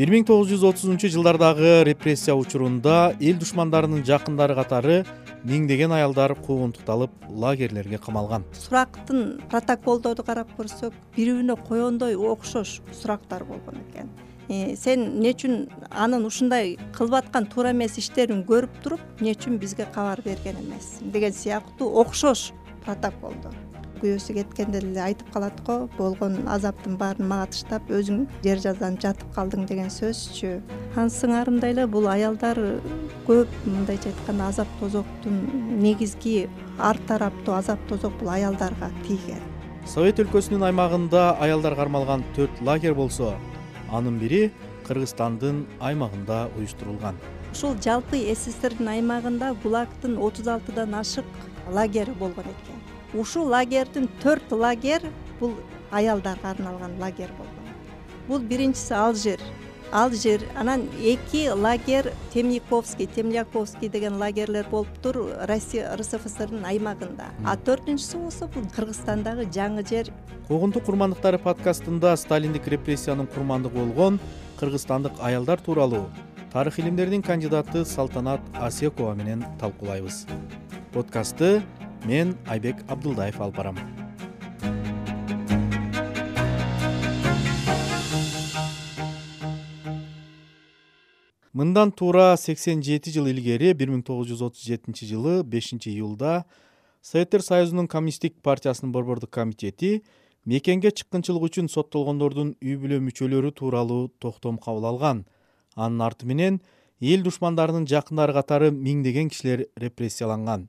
1930-жылдардагы репрессия учурунда эл душмандарынын жакындары катары миңдеген аялдар куугунтукталып лагерлерге камалган. Сурактын протоколдорду карап көрсөк, бири-бирине коёндой окшош сурактар болгон экен. Сен эмне үчүн анын ушундай кылып аткан туура эмес иштерин көрүп туруп, эмне үчүн бизге кабар берген эмес деген сыяктуу окшош протоколдор. Күйөөсү кеткенде эле айтып калат го, болгон азаптын баарын мага таштап, өзүң жер жазанып жатып калдың деген сөзчү. Анын сыңарындай эле бул аялдар көп мындайча айтканда азап тозоктун негизги ар тараптуу азап тозок бул аялдарга тийген. Совет өлкөсүнүн аймагында аялдар кармалган 4 лагерь болсо, анын бири Кыргызстандын аймагында уюштурулган. Ушул жалпы СССРдин аймагында ГУЛАГдын 36дан ашык лагери болгон экен. Ушул лагердин 4 лагерь бул аялдарга арналган лагерь болгон. Бул биринчиси Алжир, анан 2 лагерь Темляковский деген лагерлер болуптур Россия РСФСРдин аймагында. А 4-үнчүсү болсо бул Кыргызстандагы жаңы жер. Куугунтук курмандыктары подкастында сталиндик репрессиянын курмандыгы болгон кыргызстандык аялдар тууралуу тарых илимдеринин кандидаты Салтанат Асекова менен талкуулайбыз. Подкастты мен Айбек Абдулдаев алып барам. Мындан туура 87 жыл илгери 1937 жылы 5-июлда Советтер Союзунун Коммунисттик партиясынын борбордук комитети мекенге чыккынчылык үчүн соттолгондордун үй бүлө мүчөлөрү тууралуу токтом кабыл алган. Анын арты менен эл душмандарынын жакындары катары миңдеген кишилер репрессияланган.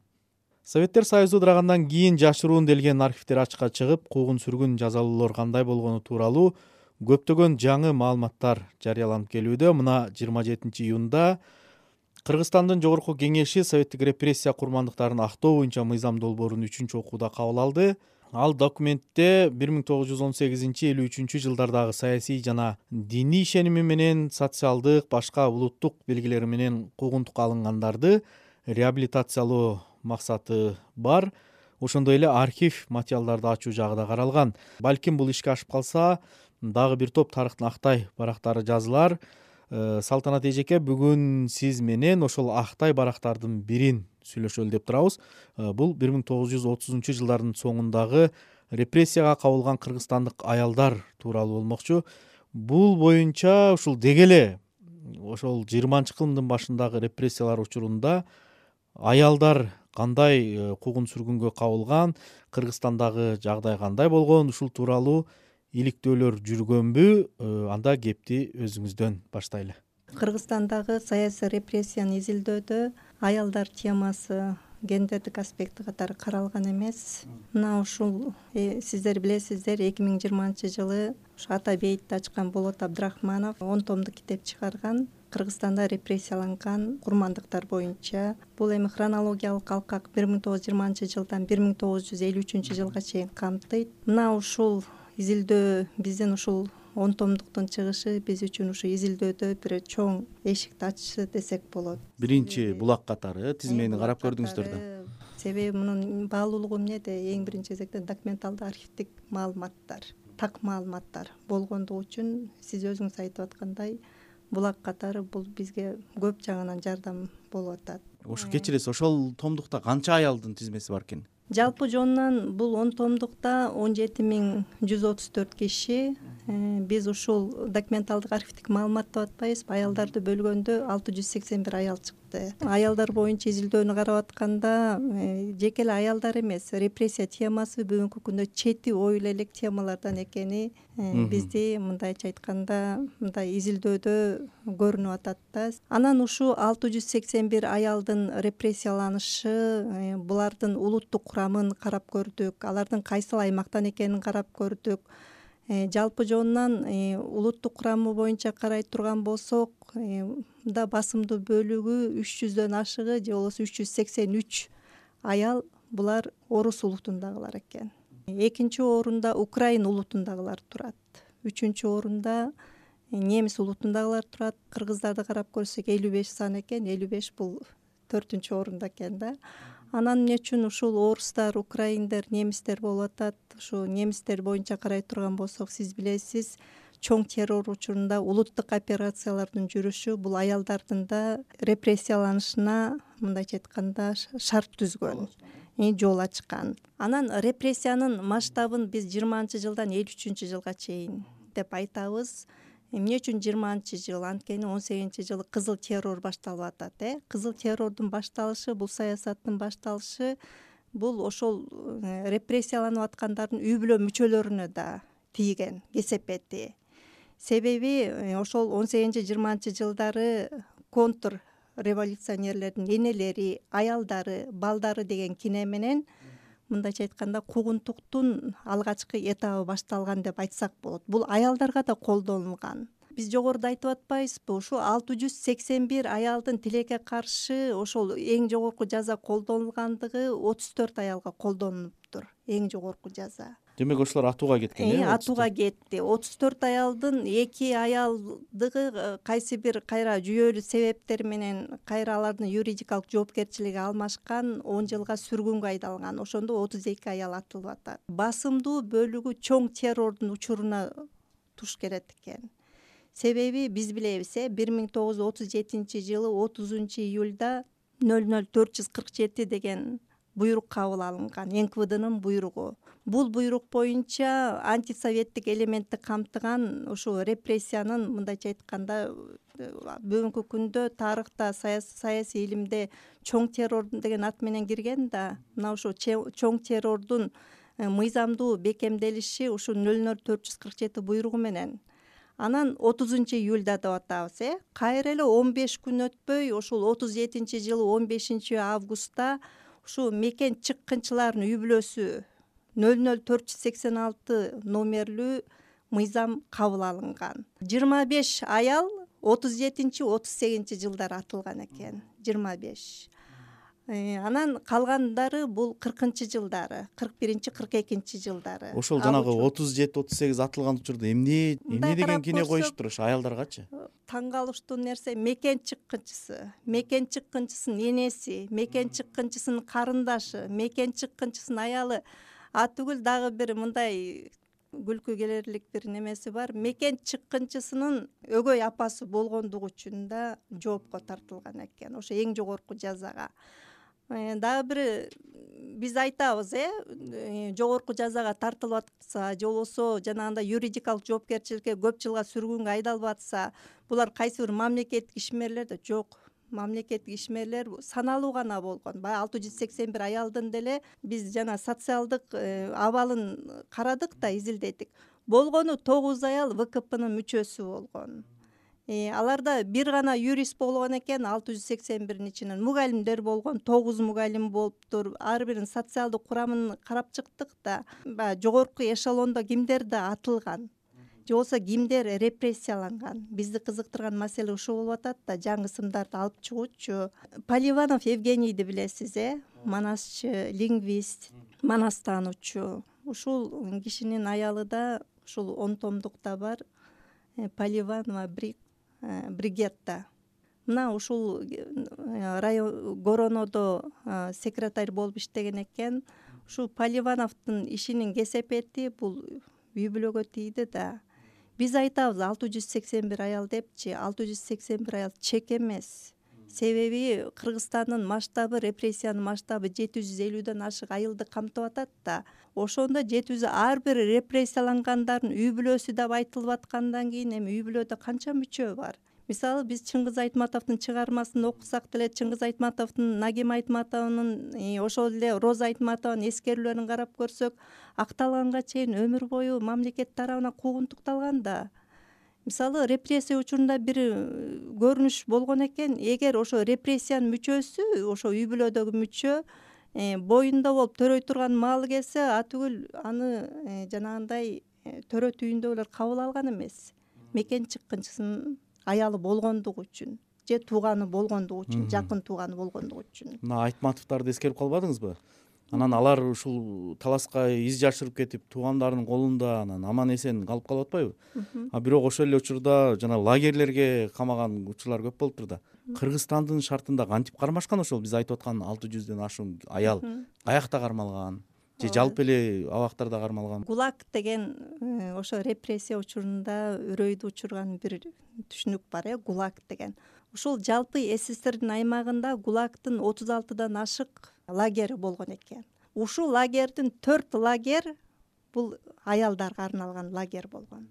Советтер Союзу ыдырагандан кийин жашыруун делген архивдер ачыкка чыгып, куугун-сүргүн жазалуулар кандай болгону тууралуу көптөгөн жаңы маалыматтар жарыяланып келүүдө. Мына 27-июнда Кыргызстандын Жогорку Кеңеши советтик репрессия курмандыктарын актоо боюнча мыйзам долбоорун 3-чү окууда кабыл алды. Ал документте 1918-53 жылдардагы саясий жана диний ишеними менен социалдык башка улуттук белгилери менен куугунтукка алынгандарды реабилитациялоо максаты бар. Ошондой эле архив материалдарды ачуу жагы да каралган. Балким бул ишке ашып калса, дагы бир топ тарыхтын актай барактары жазылар. Салтанат эжеке, бүгүн сиз менен ошол актай барактардын бирин сүйлөшөлү деп турабыз. Бул 1930 жылдардын соңундагы репрессияга кабылган кыргызстандык аялдар тууралуу болмокчу. Бул боюнча ушул деги эле ошол 20-кылымдын башындагы репрессиялар учурунда аялдар кандай куугун-сүргүнгө кабылган, Кыргызстандагы жагдай кандай болгон, ушул тууралуу иликтөөлөр жүргөнбү? Анда кепти өзүңүздөн баштайлы. Кыргызстандагы саясий репрессияны изилдөөдө аялдар темасы гендердик аспекти катары каралган эмес. Мына ушул сиздер билесиздер, 2020-жылы Ата бейитти ачкан Болот Абдрахманов 10 томдук китеп чыгарган. Кыргызстанда репрессияланган курмандыктар боюнча. Бул эми хронологиялык алкак 1920-жылдан 1953-жылга чейин камтыйт. Мына ушул изилдөө биздин ушул 10 томдуктун чыгышы биз үчүн ушу изилдөөдө бир чоң эшикти ачышы десек болот. Биринчи булак катары тизмени карап көрдүңүздөр да. Себеби мунун баалуулугу эмнеде? Эң биринчи кезекте документалдык архивдик маалыматтар, так маалыматтар болгондугу үчүн сиз өзүңүз айтып аткандай булак катары бул бизге көп жагынан жардам болуп атат. Ошо кечиресиз, ошол томдукта канча аялдын тизмеси бар экен? Жалпы жонунан бул 10 томдукта 17134 киши. Биз ушул документалдык архивдик маалымат деп атпайбызбы? Аялдарды бөлгөндө 681 аял чыкты. Аялдар боюнча изилдөөнү карап атканда, жеке эле аялдар эмес, репрессия темасы бүгүнкү күндө чети оюла элек темалардан экени бизди мындайча айтканда мындай изилдөөдө көрүнүп атат да. Анан ушу 681 аялдын репрессияланышы, булардын улуттук курамын карап көрдүк, алардын кайсыл аймактан экенин карап көрдүк. Жалпы жонунан улуттук курамы боюнча карай турган болсок, да басымдуу бөлүгү 300дөн ашыгы же болбосо 383 аял булар орус улутундагылар экен. Экинчи орунда Украин улутундагылар турат. Үчүнчү орунда немис улутундагылар турат. Кыргыздарды карап көрсөк 55 сан экен. 55 бул 4-үнчү орунда экен да. Анан эмне үчүн ушул орустар, украиндер, немистер болуп атат? Ушу немистер боюнча карай турган болсок, сиз билесиз, чоң террор учурунда улуттук операциялардын жүрүшү бул аялдардын да репрессияланышына мындайча айтканда шарт түзгөн, жол ачкан. Анан репрессиянын масштабын биз 20-жылдан 53-жылга чейин деп айтабыз. Эмне үчүн 20-жыл? Анткени 18-жылы кызыл террор башталып атат. Кызыл террордун башталышы, бул саясаттын башталышы бул ошол репрессияланып аткандардын үй бүлө мүчөлөрүнө да тийген кесепети. Себеби ошол 18-20-жылдары контр революционерлердин энелери, аялдары, балдары деген кине менен мындайча айтканда куугунтуктун алгачкы этабы башталган деп айтсак болот. Бул аялдарга да колдонулган. Биз жогоруда айтып атпайбызбы, ушу 681 аялдын тилекке каршы ошол эң жогорку жаза колдонулгандыгы 34 аялга колдонулуптур. Эң жогорку жаза. Демек ошолор атууга кеткен, Атууга кетти. 34 аялдын 2 аялдыгы кайсы бир кайра жүйөлүү себептер менен кайра алардын юридикалык жоопкерчилиги алмашкан, 10 жылга сүргүнгө айдалган. Ошондо 32 аял атылып атат. Басымдуу бөлүгү чоң террордун учуруна туш келет экен. Себеби биз билебиз, 1937-жылы 30-июлда 00447 деген буйрук кабыл алынган, НКВДнын буйругу. Бул буйрук боюнча антисоветтик элементти камтыган ушу репрессиянын мындайча айтканда бүгүнкү күндө тарыхта саясий илимде чоң террор деген ат менен кирген да, мына ушу чоң террордун мыйзамдуу бекемделиши ушу 00447 буйругу менен. Анан 30-июлда деп атабыз, кайра эле 15 күн өтпөй, ушул 37-жылы 15-августта ушу мекен чыккынчылардын үй бүлөсү 00486 номерлүү мыйзам кабыл алынган. 25 аял 37-38 жылдары атылган экен. 25. Анан калгандары бул 40-жылдары, 41-42 жылдары. Ошол жанагы 37-38 атылган учурда эмне деген кине коюшуптур ошо аялдаргачы? Таң калыштуу нерсе мекен чыккынчысынын энеси, мекен чыккынчысынын карындашы, мекен чыккынчысынын аялы. Түгүл дагы бир мындай күлкү келерлик бир немеси бар. Мекен чыккынчысынын өгөй апасы болгондугу үчүн да жоопко тартылган экен. Ошо эң жогорку жазага. Дагы бир биз айтабыз, жогорку жазага тартылып атса, же болбосо жанагындай юридикалык жоопкерчиликке көп жылга сүргүнгө айдалып атса, булар кайсы бир мамлекеттик ишмерлер да жок. Мамлекеттик ишмерлер саналуу гана болгон. Баягы 681 аялдын деле биз жана социалдык абалын карадык да, изилдедик. Болгону 9 аял ВКПнын мүчөсү болгон. Аларда бир гана юрист болгон экен, 681-ин ичинен мугалимдер болгон, 9 мугалим болуптур. Ар биринин социалдык курамын карап чыктык да, баягы жогорку эшелондо кимдер да атылган, же болбосо кимдер репрессияланган. Бизди кызыктырган маселе ушул болуп атат да, жаңы ысымдарды алып чыгуучу. Поливанов Евгенийди билесиз, манасчы, лингвист, манас таануучу. Ушул кишинин аялы да ушул 10 томдукта бар. Поливанова Бригетта. Мына ушул район Горонодо секретарь болуп иштеген экен. Ушул Поливановдун ишинин кесепети бул үй бүлөгө тийди да. Биз айтабыз 681 аял депчи, 681 аял чек эмес. Себеби Кыргызстандын масштабы, репрессиянын масштабы 750дөн ашык айылды камтып атат да. Ошондо 700 ар бир репрессиялангандардын үй бүлөсү деп айтылып аткандан кийин эми үй бүлөдө канча мүчө бар? Мисалы биз Чыңгыз Айтматовдун чыгармасын окусак деле, Чыңгыз Айтматовдун, Нагим Айтматовдун, ошол эле Роза Айтматованын эскерүүлөрүн карап көрсөк, акталганга чейин өмүр бою мамлекет тарабынан куугунтукталган да. Мисалы репрессия учурунда бир көрүнүш болгон экен, эгер ошо репрессиянын мүчөсү, ошо үй бүлөдөгү мүчө боюнда болуп төрөй турган маалы келсе, түгүл аны жанагындай төрө түйүндөгүлөр кабыл алган эмес. Мекен чыккынчысынын аялы болгондугу үчүн же тууганы болгондугу үчүн, жакын тууганы болгондугу үчүн. Мына Айтматовдорду эскерип калбадыңызбы? Анан алар ушул таласка из жашырып кетип, туугандарынын колунда анан аман эсен калып калып атпайбы? Бирок ошол эле учурда жана лагерлерге камаган учурлар көп болуптур да. Кыргызстандын шартында кантип кармашкан ошол биз айтып аткан 600дөн ашуун аял каякта кармалган? же жалпы эле абактарда кармалган? ГУЛАГ деген ошо репрессия учурунда үрөйдү учурган бир түшүнүк бар, ГУЛАГ деген. Ушул жалпы СССРдин аймагында ГУЛАГтын 36 ашык лагери болгон экен. Ушул лагердин 4 лагер бул аялдарга арналган лагер болгон.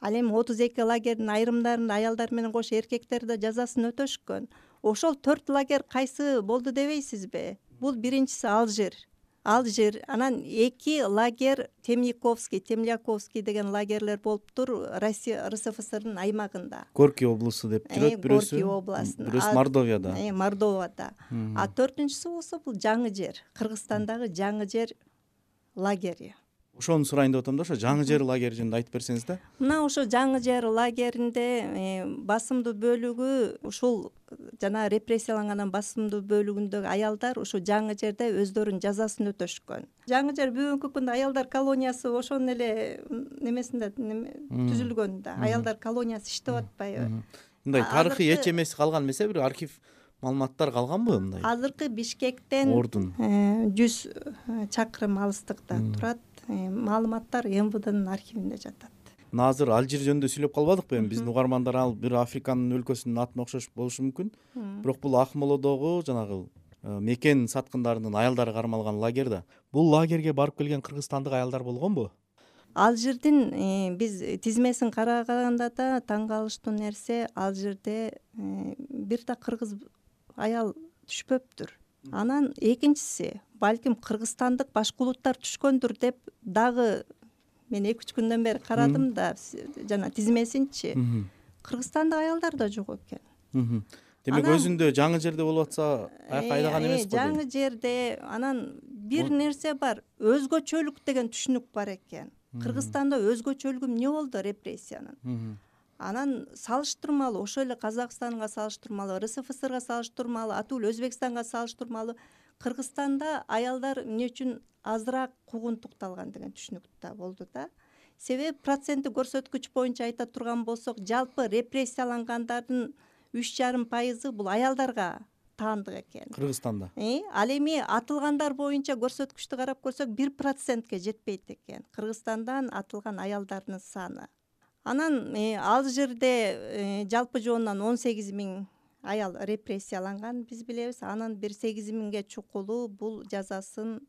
Ал эми 32 лагердин айрымдарында аялдар менен кошо эркектер да жазасын өтөшкөн. Ошол 4 лагер кайсы болду дебейсизби? Бул биринчиси Алжир, анан 2 лагер Темляковский деген лагерлер болуптур Россия РСФСРдын аймагында. Горький облусу деп жүрөт бирөөсү. Горький областында. Бирөөсү Мордовияда. Мордовияда. А 4-үнчүсү болсо бул Жаңы жер, Кыргызстандагы Жаңы жер лагери. Ошону сурайын деп атам да, ошо Жаңы жер лагери жөнүндө айтып берсеңиз да. Мына ошо Жаңы жер лагеринде басымдуу бөлүгү ушул жана репрессиялангандан басымдуу бөлүгүндөгү аялдар ушу Жаңы жерде өздөрүнүн жазасын өтөшкөн. Жаңы жер бүгүнкү күндө аялдар колониясы ошонун эле немесинде түзүлгөн да. Аялдар колониясы иштеп атпайбы? Мындай тарыхый эч эмеси калган эмес, бир архив маалыматтар калганбы мындай? Азыркы Бишкектен Ордун 100 чакырым алыстыкта турат. Маалыматтар МВДнын архивинде жатат. Мына азыр Алжир жөнүндө сүйлөп калбадыкпы эми? Биздин угармандар ал бир Африканын өлкөсүнүн атына окшош болушу мүмкүн. Бирок бул Акмолодогу жанагы мекен саткындарынын аялдары кармалган лагер да. Бул лагерге барып келген кыргызстандык аялдар болгонбу? Алжирдин биз тизмесин караганда да таң калыштуу нерсе, Алжирде бир да кыргыз аял түшпөптүр. Анан экинчиси, балким кыргызстандык башка улуттар түшкөндүр деп дагы мен 2-3 күндөн бери карадым да жана тизмесинчи. Кыргызстандык аялдар да жок экен. Демек өзүндө Жаңы жерде болуп атса аяка айдаган эмес го. Жаңы жерде анан бир нерсе бар, өзгөчөлүк деген түшүнүк бар экен. Кыргызстанда өзгөчөлүгү эмне болду репрессиянын? Анан салыштырмалуу ошол эле Казакстанга салыштырмалуу, РСФСРга салыштырмалуу, атул Өзбекстанга салыштырмалуу Кыргызстанда аялдар эмне үчүн азыраак куугунтукталган деген түшүнүк да болду да. Себеби проценттик көрсөткүч боюнча айта турган болсок, жалпы репрессиялангандардын 3,5% бул аялдарга таандык экен. Кыргызстанда. Ал эми атылгандар боюнча көрсөткүчтү карап көрсөк 1%ке жетпейт экен Кыргызстандан атылган аялдардын саны. Анан Алжирде жалпы жоонунан 18 000 аял репрессияланган биз билебиз. Анан бир 8 000ге чукулу бул жазасын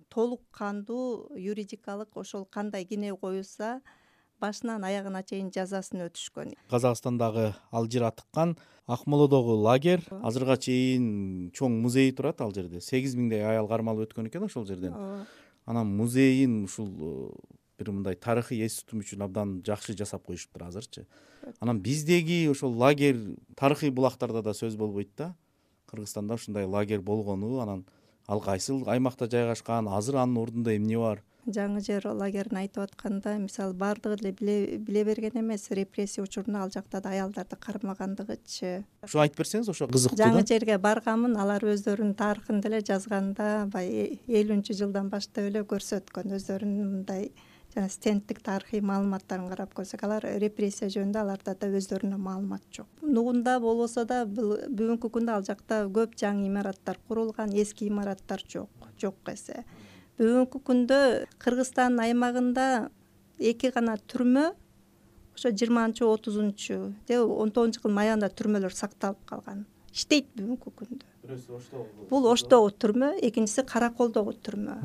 толук кандуу юридикалык ошол кандай кине коюлса башынан аягына чейин жазасын өтүшкөн. Казакстандагы Алжир атыккан Акмолодогу лагер азырга чейин чоң музей турат ал жерде. 8 000дей аял кармалып өткөн экен ошол жерден. Анан музейин ушул бир мындай тарыхый эс тутум үчүн абдан жакшы жасап коюшуптур азырчы. Анан биздеги ошол лагер тарыхый булактарда да сөз болбойт да. Кыргызстанда ушундай лагер болгону, анан ал кайсыл аймакта жайгашкан, азыр анын ордунда эмне бар? Жаңы жер лагерин айтып атканда, мисалы бардыгы эле биле берген эмес, репрессия учурунда ал жакта да аялдарды кармагандыгычы. Ушу айтып берсеңиз, ошо кызыктуу да. Жаңы жерге барганмын, алар өздөрүнүн тарыхын деле жазганда, бай 50-жылдан баштап эле көрсөткөн өздөрүнүн мындай жана стендтик тарыхый маалыматтарын карап көрсөк, алар репрессия жөнүндө аларда да өздөрүнө маалымат жок. Нугунда болбосо да бүгүнкү күндө ал жакта көп жаңы имараттар курулган, эски имараттар жок эсе. Бүгүнкү күндө Кыргызстандын аймагында 2 гана түрмө, ошо 20-30 же 19-жылдын аягында түрмөлөр сакталып калган. Иштейт бүгүнкү күндө. Бирөөсү Оштогу. Бул Оштогу түрмө, экинчиси Караколдогу түрмө.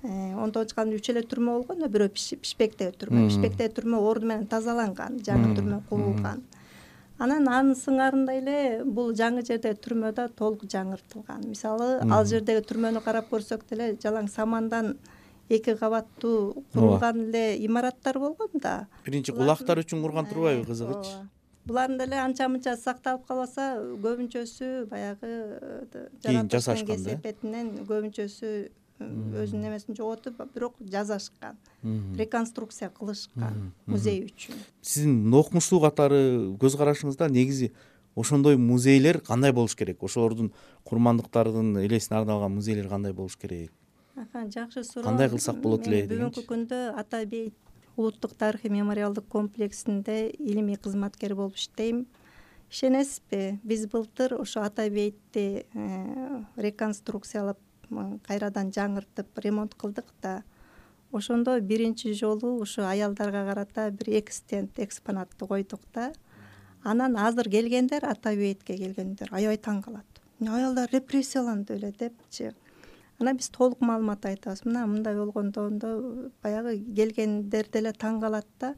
19-жылдын үч эле түрмө болгон, бирөө Пишпектеги түрмө. Пишпектеги түрмө орду менен тазаланган, жаңы түрмө курулган. Анан анын сыңарында эле бул жаңы жердеги түрмө да толук жаңыртылган. Мисалы, ал жердеги түрмөнү карап көрсөк деле жалаң самандан 2 кабаттуу курулган эле имараттар болгон да. Биринчи кулактар үчүн курган турбайбы, кызыгыч? Булардын деле анча-мынча сакталып калбаса, көбүнчөсү баягы жасашкан да. Кесепетинен көбүнчөсү өзүнүн немесин жоготуп, бирок жасашкан. Реконструкция кылышкан музей үчүн. Сиздин окумуштуу катары көз карашыңызда негизи ошондой музейлер кандай болуш керек? Ошолордун курмандыктардын элесине арналган музейлер кандай болуш керек? Жакшы суроо. Кандай кылсак болот эле дегенчи. Бүгүнкү күндө Ата бейит улуттук тарыхый мемориалдык комплексинде илимий кызматкер болуп иштейм. Ишенесизби, биз былтыр ошо Ата бейтти реконструкциялап кайрадан жаңыртып ремонт кылдык да. Ошондо биринчи жолу ушу аялдарга карата бир экспонатты койдук да. Анан азыр келгендер, ата бейитке келгендер аябай таң калат. Аялдар репрессияланды беле депчи. Анан биз толук маалымат айтабыз. Мындай болгондо баягы келгендер деле таң калат да.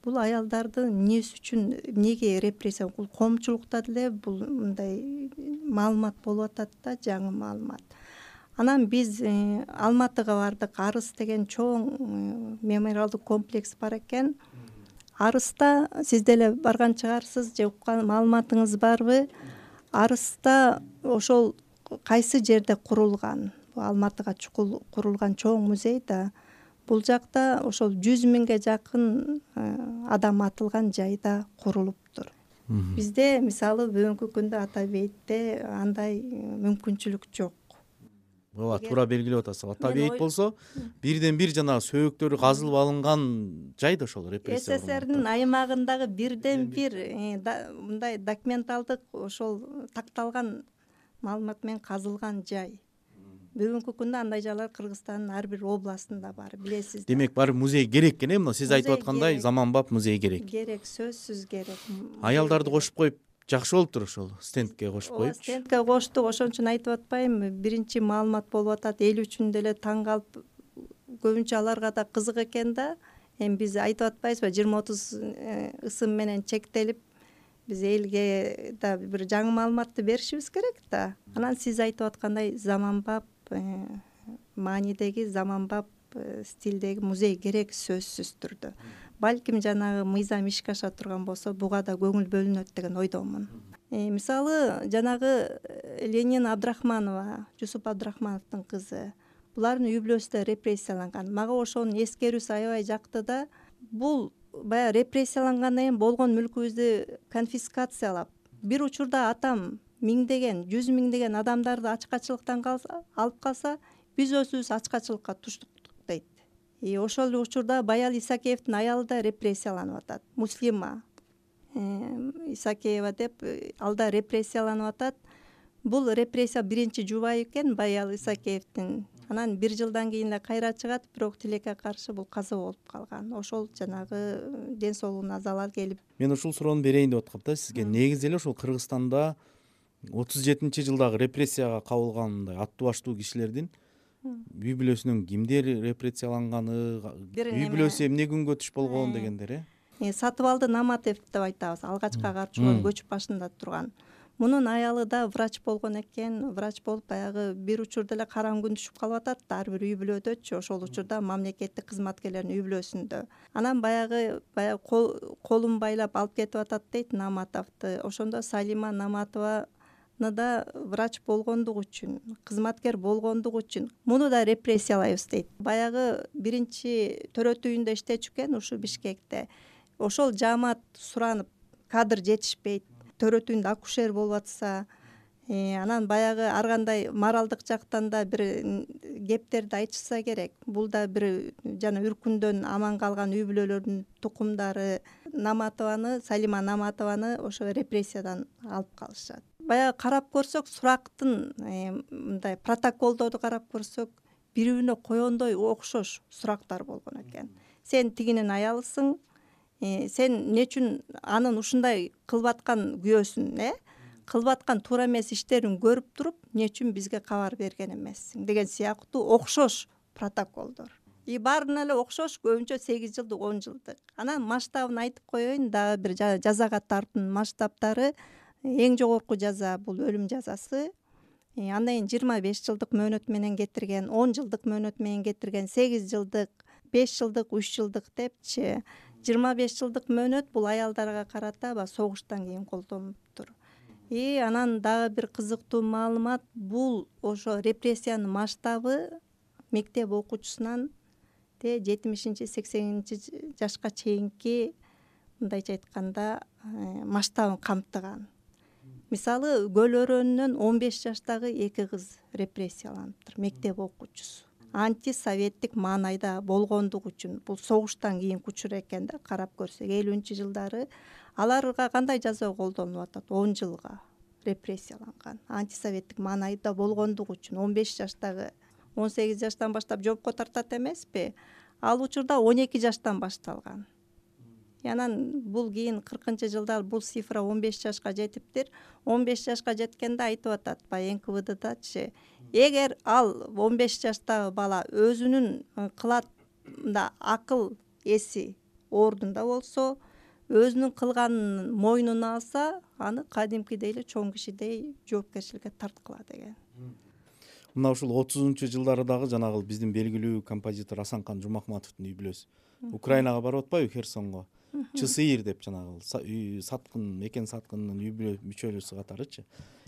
Бул аялдарды эмнеси үчүн, эмнеге репрессия, бул коомчулукта деле бул мындай маалымат болуп атат да, жаңы маалымат. Анан биз Алматыга бардык. Арыс деген чоң мемориалдык комплекс бар экен. Арыста сиз деле барган чыгарсыз же уккан маалыматыңыз барбы? Арыста ошол кайсы жерде курулган? Алматыга чукул курулган чоң музей да. Бул жакта ошол 100 миңге жакын адам атылган жайда курулуптур. Бизде мисалы бүгүнкү күндө ата бейитте андай мүмкүнчүлүк жок. Ооба, туура белгилеп атасыз. Ата бейит болсо бирден бир жанагы сөөгүттөрү казылып алынган жай да ошол репрессия. СССРдин аймагындагы бирден бир мындай документалдык ошол такталган маалымат менен казылган жай. Бүгүнкү күндө андай жайлар Кыргызстандын ар бир областында бар, билесиз. Демек баары музей керек экен, эмне сиз айтып аткандай заманбап музей керек. Керек, сөзсүз керек. Аялдарды кошуп коюп жакшы болуптур ошол стендке кошуп коюп. Стендке коштук, ошон үчүн айтып атпаймынбы, биринчи маалымат болуп атат, эл үчүн деле таң калып, көбүнчө аларга да кызык экен да. Эми биз айтып атпайбызбы, 20-30 ысым менен чектелип, биз элге да бир жаңы маалыматты беришибиз керек да. Анан сиз айтып аткандай заманбап маанидеги, заманбап стилдеги музей керек сөзсүз түрдө. Балким жанагы мыйзам ишке аша турган болсо, буга да көңүл бөлүнөт деген ойдомун. Мисалы, жанагы Ленин Абдрахманова, Жусуп Абдрахмановдун кызы, булардын үй бүлөсү репрессияланган. Мага ошонун эскерүүсү аябай жакты да. Бул баягы репрессиялангандан кийин болгон мүлкүбүздү конфискациялап, бир учурда атам миңдеген, 100 миңдеген адамдарды ачкачылыктан алып калса, биз өзүбүз ачкачылыкка туштук дейт. Ошол учурда Баял Исакеевдин аялы да репрессияланып атат. Муслима Исакеева деп ал да репрессияланып атат. Бул репрессия биринчи жубайы экен Баял Исакеевдин. Анан 1 жылдан кийин эле кайра чыгат, бирок тилекке каршы бул каза болуп калган. Ошол жанагы ден соолугуна залал келип. Мен ушул суроону берейин деп аткам да сизге. Негизи эле ошол Кыргызстанда 37-жылдагы репрессияга кабылган мындай аттуу баштуу кишилердин үй бүлөсүнөн кимдер репрессияланганы, үй бүлөсү эмне күнгө түш болгон дегендер. Сатыбалды Наматев деп айтабыз, алгачкы карчылоонун көчүп башында турган. Мунун аялы да врач болгон экен. Врач болуп баягы бир учурда эле караң күн түшүп калып атат да, ар бир үй бүлөдөчү, ошол учурда мамлекеттик кызматкерлердин үй бүлөсүндө. Анан баягы колун байлап алып кетип атат дейт Наматовду. Ошондо Салима Наматова да врач болгондугу үчүн, кызматкер болгондугу үчүн муну да репрессиялайбыз дейт. Баягы биринчи төрөт үйүндө иштечү экен ушу Бишкекте. Ошол жаамат суранып, кадр жетишпейт, төрөт үйүндө акушер болуп атса, анан баягы ар кандай моралдык жактан да бир кептерди айтышса керек. Бул да бир жана үркүндөн аман калган үй бүлөлөрдүн тукумдары. Салима Наматованы ошо репрессиядан алып калышат. Баягы карап көрсөк, сурактын мындай протоколдорду карап көрсөк, бири-бирине койгондой окшош сурактар болгон экен. Сен тигинин аялысың, сен эмне үчүн анын ушундай кылып аткан күйөөсүн, кылып аткан туура эмес иштерин көрүп туруп, эмне үчүн бизге кабар берген эмессиң деген сыяктуу окшош протоколдор. Баарына эле окшош, көбүнчө 8 жылдык, 10 жылдык. Анан масштабын айтып коеюн, дагы бир жазага тартуунун масштабтары. Эң жогорку жаза бул өлүм жазасы. Андан кийин 25 жылдык мөөнөт менен кетирген, 10 жылдык мөөнөт менен кетирген, 8 жылдык, 5 жылдык, 3 жылдык депчи. 25 жылдык мөөнөт бул аялдарга карата согуштан кийин колдонулуптур. Анан дагы бир кызыктуу маалымат, бул ошо репрессиянын масштабы мектеп окуучусунан 70-80 жашка чейинки, мындайча айтканда, масштабын камтыган. Мисалы, Көл өрөөнүнөн 15 жаштагы 2 кыз репрессияланыптыр, мектеп окуучусу. Антисоветтик маанайда болгондугу үчүн, бул согуштан кийинки учур экен карап көрсөк, 50-жылдары аларга кандай жаза колдонулуп атат? 10 жылга. репрессияланган. Антисоветтик маанайда болгондугу үчүн 15 жаштагы 18 жаштан баштап жоопко тартат эмеспи? Ал учурда 12 жаштан башталган. Анан бул кийин 40-жылдар бул цифра 15 жашка жетиптир. 15 жашка жеткенде айтып атат баягы НКВДдачы, эгер ал 15 жаштагы бала өзүнүн кылат мында акыл эси ордунда болсо, өзүнүн кылганын мойнуна алса, аны кадимкидей эле чоң кишидей жоопкерчиликке тарткыла деген. Мына ушул 30-жылдары дагы жанагы биздин белгилүү композитор Асанкан Жумахматовдун үй бүлөсү Украинага барып атпайбы, Херсонго? ЧСИР деп жанагы саткын, мекен саткынынын үй бүлө мүчөлүүсү катарычы.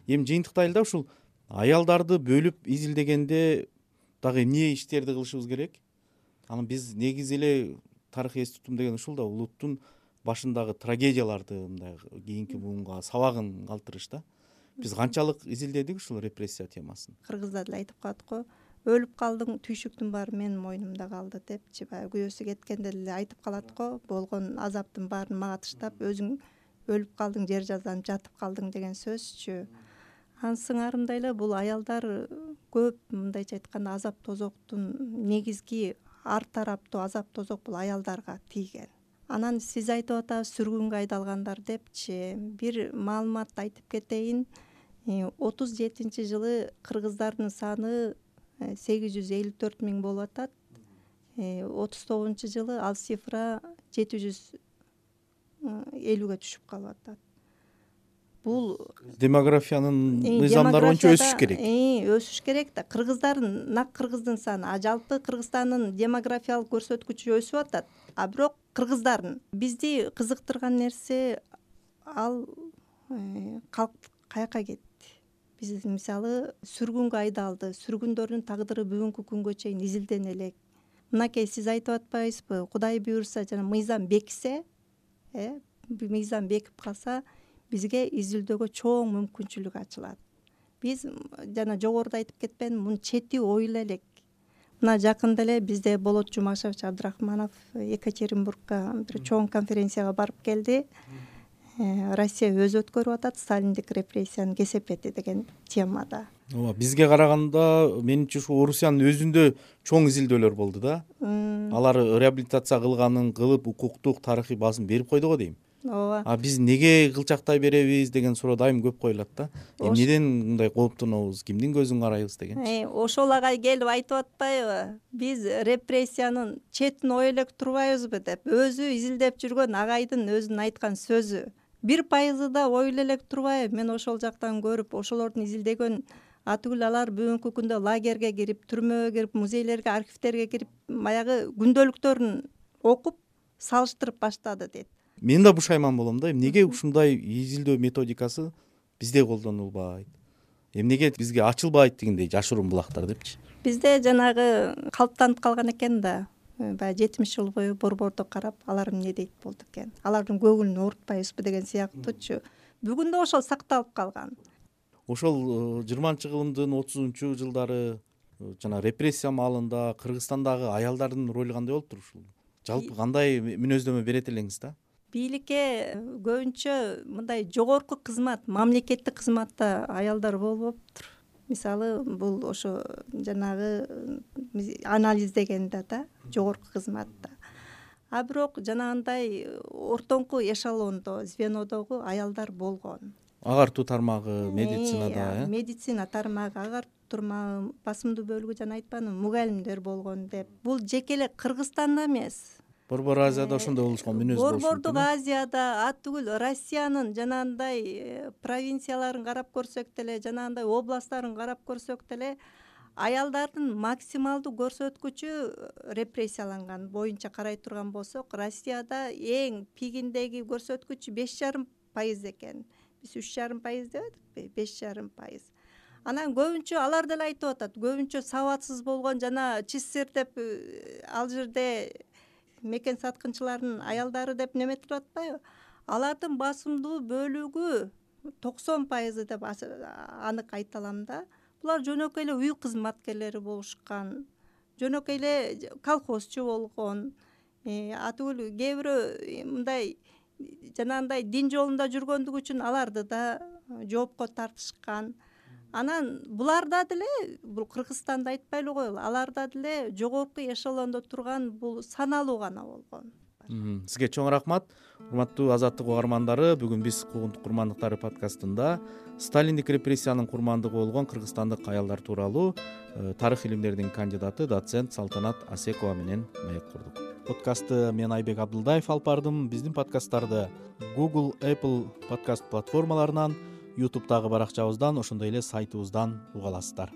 Эми жыйынтыкта эле да ушул аялдарды бөлүп изилдегенде дагы эмне иштерди кылышыбыз керек? Анан биз негизи эле тарых эс тутум деген ушул да, улуттун башындагы трагедияларды мындай кийинки буунга сабагын калтырыш да. Биз канчалык изилдедик ушул репрессия темасын? Кыргыздар деле айтып калат го, өлүп калдың, түйшүктүн баары менин мойнумда калды депчи, баягы күйөөсү кеткенде деле айтып калат го, болгон азаптын баарын мага таштап, өзүң өлүп калдың, жер жазданып жатып калдың деген сөзчү. Анын сыңарындай эле бул аялдар көп, мындайча айтканда, азап тозоктун негизги ар тараптуу азап тозок бул аялдарга тийген. Анан сиз айтып атасыз сүргүнгө айдалгандар депчи. Бир маалымат айтып кетейин. 37-жылы кыргыздардын саны 854 миң болуп атат. 39-жылы ал цифра 750ге түшүп калып атат. Бул демографиянын мыйзамдары боюнча өсүш керек. Өсүш керек да. Кыргыздардын, нак кыргыздын саны, жалпы Кыргызстандын демографиялык көрсөткүчү өсүп атат. А бирок кыргыздардын бизди кызыктырган нерсе ал калк каяка кетти. Биз мисалы сүргүнгө айдалды, сүргүндөрдүн тагдыры бүгүнкү күнгө чейин изилдене элек. Мынакей сиз айтып атпайсызбы, Кудай буйрса жана мыйзам бекисе, мыйзам бекип калса, бизге изилдөөгө чоң мүмкүнчүлүк ачылат. Биз жана жогоруда айтып кетпедимби, мунун чети ойла элек. Мына жакында эле бизде Болот Жумашевич Абдрахманов Екатеринбургка бир чоң конференцияга барып келди. Россия өзү өткөрүп атат сталиндик репрессиянын кесепети деген темада. Ооба, бизге караганда менимче ушу Орусиянын өзүндө чоң изилдөөлөр болду да. Алар реабилитация кылганын кылып, укуктук, тарыхый базым берип койду го дейм. Ооба. А биз неге кылчактай беребиз деген суроо дайым көп коюлат да. Эмнеден мындай кооптонобуз, кимдин көзүн карайбыз дегенчи. Ошол агай келип айтып атпайбы? Биз репрессиянын четин ой элек турбайбызбы деп. Өзү изилдеп жүргөн агайдын өзүнүн айткан сөзү. 1% да ойлой элек турбайбы? Мен ошол жактан көрүп, ошолордун изилдеген атүгүл алар бүгүнкү күндө лагерге кирип, түрмөгө кирип, музейлерге, архивтерге кирип, баягы күндөлүктөрүн окуп, салыштырып баштады дейт. Мен да бушайман болом да. Эмнеге ушундай изилдөө методикасы бизде колдонулбайт? Эмнеге бизге ачылбайт дегендей жашыруун булактар депчи. Бизде жанагы калыптанып калган экен да. Баягы 70 жыл бою борбордо карап, алар эмне дейт болду экен. Алардын көңүлүн оорутпайбызбы деген сыяктуучу. Бүгүн да ошол сакталып калган. Ошол 20-кылымдын 30-жылдары жана репрессия маалында Кыргызстандагы аялдардын ролу кандай болуптур ушул? Жалпы кандай мүнөздөмө берет элеңиз да? Бийликке көбүнчө мындай жогорку кызмат, мамлекеттик кызматта аялдар болбоптур. Мисалы, бул ошо жанагы анализдегенде да, жогорку кызматта. А бирок жанагындай ортоңку эшелондо, звенодогу аялдар болгон. Агартуу тармагы, медицинада, медицина тармагы, агартуу тармагы, басымдуу бөлүгү жана айтпадымбы, мугалимдер болгон деп. Бул жеке эле Кыргызстанда эмес. Борбор Азияда ошондой болушкан мүнөз болушу мүмкүн. Борбордук Азияда, атүгүл Россиянын жанагындай провинцияларын карап көрсөк деле, жанагындай областтарын карап көрсөк деле, аялдардын максималдуу көрсөткүчү репрессияланган боюнча карай турган болсок, Россияда эң пигиндеги көрсөткүч 5,5% экен. Биз 3,5% дебедикпи? 5,5%. Анан көбүнчө алар деле айтып атат, көбүнчө сабатсыз болгон жана ЧССР деп ал жерде мекен саткынчылардын аялдары деп неметип атпайбы? Алардын басымдуу бөлүгү 90% деп анык айта алам да. Булар жөнөкөй эле үй кызматкерлери болушкан, жөнөкөй эле колхозчу болгон. Атүгүл кээ бирөө мындай жанагындай дин жолунда жүргөндүгү үчүн аларды да жоопко тартышкан. Анан буларда деле, бул Кыргызстанды айтпай эле коелу, аларда деле жогорку эшелондо турган бул саналуу гана болгон. Сизге чоң рахмат. Урматтуу Азаттык угармандары, бүгүн биз Куугунтук курмандыктары подкастында Сталиндик репрессиянын курмандыгы болгон кыргызстандык аялдар тууралуу тарых илимдеринин кандидаты доцент Салтанат Асекова менен маек курдук. Подкастты мен Айбек Абдылдаев алып бардым. Биздин подкасттарды Google, Apple подкаст платформаларынан, YouTube'дагы баракчабыздан, ошондой эле сайтыбыздан уга аласыздар.